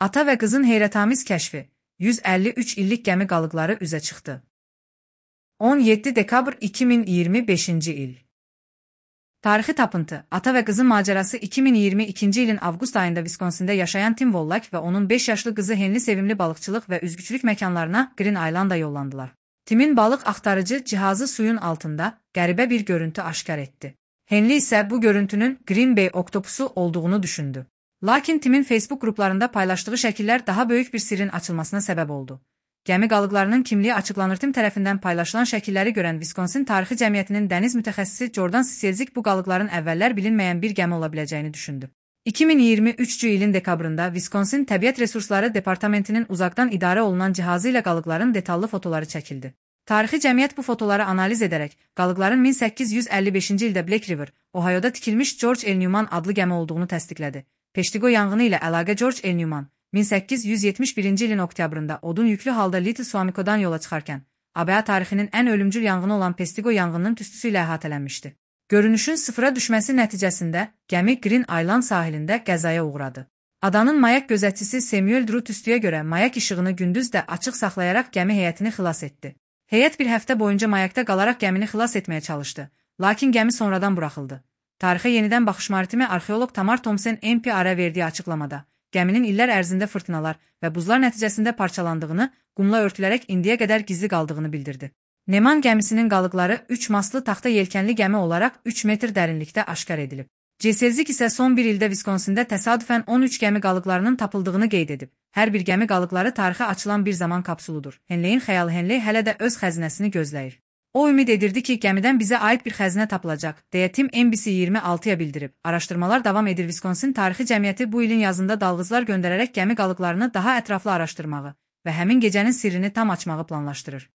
Ata və qızın heyrətamiz kəşfi. 153 illik gəmi qalıqları üzə çıxdı. 17 dekabr 2025-ci il. Tarixi tapıntı. Ata və qızın macərası 2022-ci ilin avqust ayında Viskonsində yaşayan Tim Wollak və onun 5 yaşlı qızı Henli sevimli balıqçılıq və üzgüçülük məkanlarına Green Islanda yollandılar. Timin balıq axtarıcı cihazı suyun altında qəribə bir görüntü aşkar etdi. Henli isə bu görüntünün Green Bay oktopusu olduğunu düşündü. Lakin Timin Facebook qruplarında paylaşdığı şəkillər daha böyük bir sirrin açılmasına səbəb oldu. Gəmi qalıqlarının kimliyi açıqlanır. Tim tərəfindən paylaşılan şəkilləri görən Viskonsin Tarixi Cəmiyyətinin dəniz mütəxəssisi Jordan Siselzik bu qalıqların əvvəllər bilinməyən bir gəmi ola biləcəyini düşündü. 2023-cü ilin dekabrında Viskonsin Təbiət Resursları Departamentinin uzaqdan idarə olunan cihazı ilə qalıqların detallı fotoları çəkildi. Tarixi Cəmiyyət bu fotoları analiz edərək qalıqların 1855-ci ildə Black River, Ohio'da tikilmiş George L. Newman adlı gəmi olduğunu təsdiqlədi. Peshtigo yanğını ilə əlaqə George L. Newman 1871-ci ilin oktyabrında odun yüklü halda Little Suamico'dan yola çıxarkən, ABA tarixinin ən ölümcül yanğını olan Peshtigo yanğınının tüstüsü ilə əhatələnmişdi. Görünüşün sıfıra düşməsi nəticəsində gəmi Green Island sahilində qəzaya uğradı. Adanın mayak gözətçisi Samuel Drew tüstüyə görə mayak işığını gündüz də açıq saxlayaraq gəmi heyətini xilas etdi. Heyət bir həftə boyunca mayakda qalaraq gəmini xilas etməyə çalışdı, lakin gəmi sonradan buraxıldı. Tarixə yenidən baxış maritimi arxeoloq Tamar Thompson NPR-ə verdiyi açıqlamada, gəminin illər ərzində fırtınalar və buzlar nəticəsində parçalandığını, qumla örtülərək indiyə qədər gizli qaldığını bildirdi. Neman gəmisinin qalıqları 3 mastlı taxta yelkənli gəmi olaraq 3 metr dərinlikdə aşkar edilib. Ceselzik isə son bir ildə Viskonsində təsadüfən 13 gəmi qalıqlarının tapıldığını qeyd edib. Hər bir gəmi qalıqları tarixə açılan bir zaman kapsuludur. Henleyin xəyalı Henley hələ də öz xəzinəsini gözləyir. O ümid edirdi ki, gəmidən bizə aid bir xəzinə tapılacaq, deyə Tim NBC26-ya bildirib. Araşdırmalar davam edir. Viskonsin Tarixi Cəmiyyəti bu ilin yazında dalğıclar göndərərək gəmi qalıqlarını daha ətraflı araşdırmağı və həmin gecənin sirrini tam açmağı planlaşdırır.